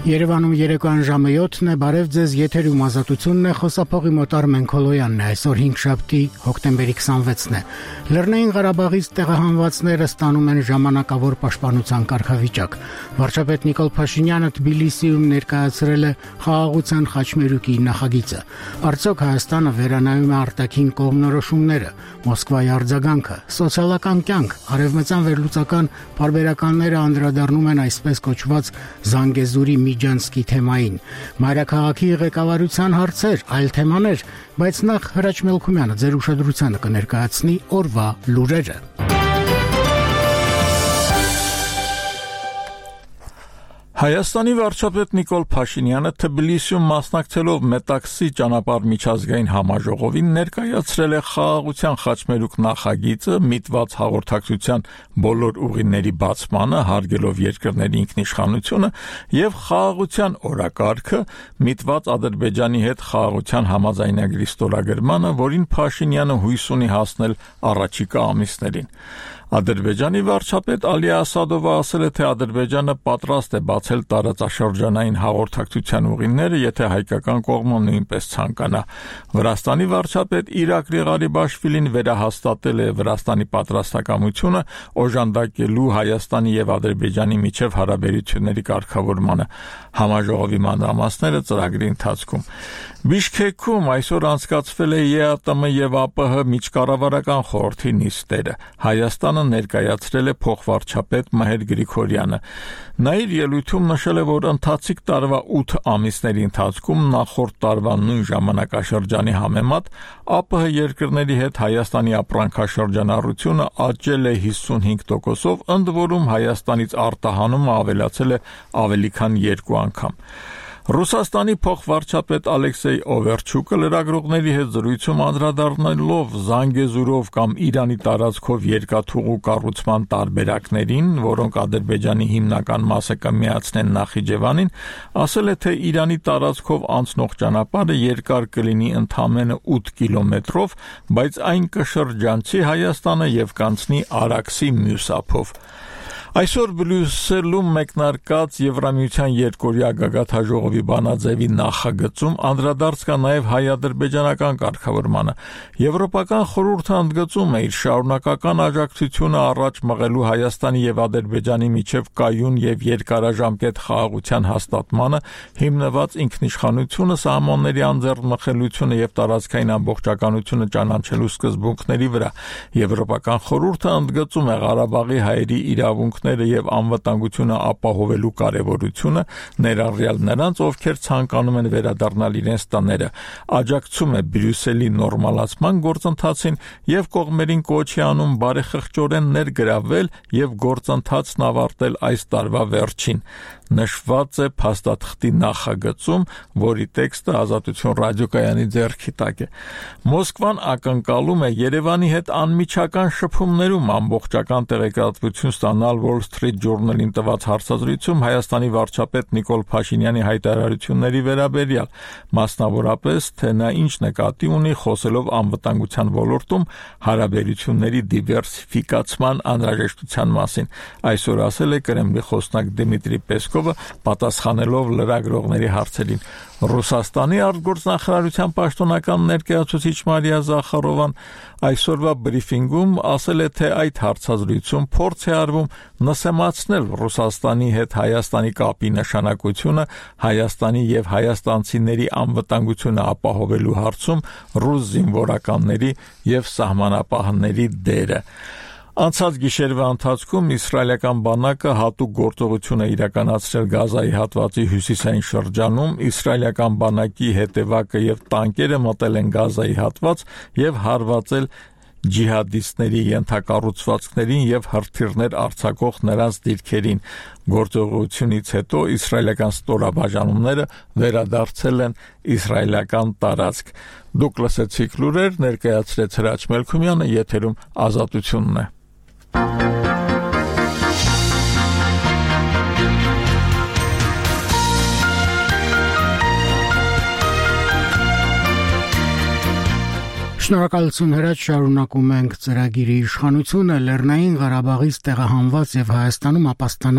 Երևանում երեկոյան ժամը 7-ն է, բարև ձեզ, եթերում Ազատությունն է, խոսափողի մոտ Արմեն Քոլոյանն է, այսօր 5-շաբթի հոկտեմբերի 26-ն է։ Լեռնային Ղարաբաղից տեղահանվածները ստանում են ժամանակավոր պաշտպանության կարգավիճակ։ Վարչապետ Նիկոլ Փաշինյանը Թբիլիսիում ներկայացրել է խաղաղության խաչմերուկի նախագիծը։ Արդյոք Հայաստանը վերանայում է արտաքին կողմնորոշումները, Մոսկվայի արձագանքը, սոցիալական կյանք, արևմտյան վերլուծական պարբերականները անդրադառնում են այսպես կոչված Զանգեզուրի Միջանցքի թեմային, մայրաքաղաքի ղեկավարության հարցեր, այլ թեմաներ, բայց նախ Հրաչ Մելքումյանը ձեր ուշադրությանը կներկայացնի օրվա լուրերը։ Հայաստանի վարչապետ Նիկոլ Փաշինյանը Թբիլիսիում մասնակցելով Մետաքսի ճանապարհ միջազգային համաժողովին ներկայացրել է խաղաղության խաչմերուկ նախագիծը միտված հաղորդակցության բոլոր ուղիների բացմանը, հարգելով երկրների ինքնիշխանությունը եւ խաղաղության օրակարգը միտված Ադրբեջանի հետ խաղաղության համաձայնագրի ստորագրմանը, որին Փաշինյանը հույս ունի հասնել առաջիկա ամիսներին։ Ադրբեջանի վարչապետ Ալի Ասադովը ասել է, թե Ադրբեջանը պատրաստ է բացել տարածաշրջանային հաղորդակցության ուղիները, եթե հայկական կողմը նույնպես ցանկանա։ Վրաստանի վարչապետ Իրակլի Ղարիբաշվիլին վերահաստատել է Վրաստանի պատրաստակամությունը օժանդակելու Հայաստանի եւ Ադրբեջանի միջև հարաբերությունների կարգավորմանը։ Համաժողովի մանրամասները ծրագրի ընթացքում։ Բիշքեքում այսօր անցկացվել է ԵԱՏՄ եւ ԱՊՀ միջկառավարական խորհրդի նիստերը։ Հայաստանը ներկայացրել է փոխվարչապետ Մհեր Գրիգորյանը։ Նա իր ելույթում նշել է, որ ընթացիկ տարվա 8 ամիսների ընթացքում նախորդ տարվա նույն ժամանակաշրջանի համեմատ ԱՊՀ երկրների հետ Հայաստանի ապրանքաշրջանառությունը աճել է 55%-ով, ընդ որում Հայաստանից արտահանումը ավելացել է ավելի քան 2 անգամ։ Ռուսաստանի փոխվարչապետ Ալեքսեյ Օվերչուկը լրագրողների հետ զրույցում անդրադառնալով Զանգեզուրով կամ Իրանի տարածքով երկաթուղու կառուցման տարբերակներին, որոնք Ադրբեջանի հիմնական մասը կմիացնեն Նախիջևանին, ասել է, թե Իրանի տարածքով անցնող ճանապարհը երկար կլինի ընդամենը 8 կիլոմետրով, բայց այն կշրջանցի Հայաստանը եւ կանցնի Արաքսի մյուս ափով։ Այսօր Բրյուսելում մեկնարկած Եվրամիության երկօրյա գագաթնաժողովի բանաձևի նախագծում անդրադարձ կա նաև հայ-ադրբեջանական կարգավորմանը։ Եվրոպական խորհուրդը ընդգծում է իր շարունակական աջակցությունը առաջ մղելու Հայաստանի եւ Ադրբեջանի միջև կայուն եւ երկարաժամկետ խաղաղության հաստատմանը, հիմնված ինքնիշխանությունը, սահմանների անձեռնմխելիությունը եւ տարածքային ամբողջականությունը ճանաչելու սկզբունքների վրա։ Եվրոպական խորհուրդը ընդգծում է Ղարաբաղի հայերի իրավունք եւ անվտանգությունը ապահովելու կարեւորությունը, ներառյալ նրանց, ովքեր ցանկանում են վերադառնալ իրենց տները, աջակցում է Բրյուսելի նորմալացման գործընթացին եւ կողմերին կոչ է անում բարեխղճորեն ներգրավել եւ գործընթացն ավարտել այս տարվա վերջին։ Նշված է փաստաթղթի նախագծում, որի տեքստը Ազատություն ռադիոկայանի ձեռքի տակ է։ Մոսկվան ակնկալում է Երևանի հետ անմիջական շփումներում ամբողջական տեղեկատվություն ստանալ Wall Street Journal-ին տված հարցազրույցում Հայաստանի վարչապետ Նիկոլ Փաշինյանի հայտարարությունների վերաբերյալ, մասնավորապես, թե նա ինչ նկատի ունի խոսելով անվտանգության ոլորտում հարաբերությունների դիվերսիֆիկացման անհրաժեշտության մասին։ Այսօր ասել է Կրեմլի խոսնակ Դմիտրի Պեսկովը, պատասխանելով լրագրողների հարցերին։ Ռուսաստանի արտգործնախարարության պաշտոնական ներկայացուցիչ Մարիա Զախարովան այսօրվա բրիֆինգում ասել է, թե այդ հարցազրույցում փորձ է արվում նսեմացնել Ռուսաստանի հետ Հայաստանի կապի նշանակությունը, Հայաստանի եւ հայաստանցիների անվտանգությունը ապահովելու հարցում ռուս զինվորականների եւ սահմանապահների դերը։ Անցած գիշերվա ընթացքում իսրայելական բանակը հատուկ գործողություն է իրականացրել Գազայի հատվածի հյուսիսային շրջանում, իսրայելական բանակի հետևակը եւ տանկերը մտել են Գազայի հատված եւ հարվածել ջիհադիստների ենթակառուցվածքներին եւ հրթիռներ արձակող նրանց դիրքերին։ Գործողությունից հետո իսրայելական ստորաբաժանումները վերադարձել են իսրայելական տարածք։ Դուք լսեցիք լուրեր, ներկայացրեց Հրաչ Մելքումյանը, եթերում Ազատությունն է։ Շնորհակալություն Հրաչ, շարունակում ենք ծրագիրի իշխանությունը Լեռնային Ղարաբաղից տեղահանված եւ Հայաստանում ապաստանած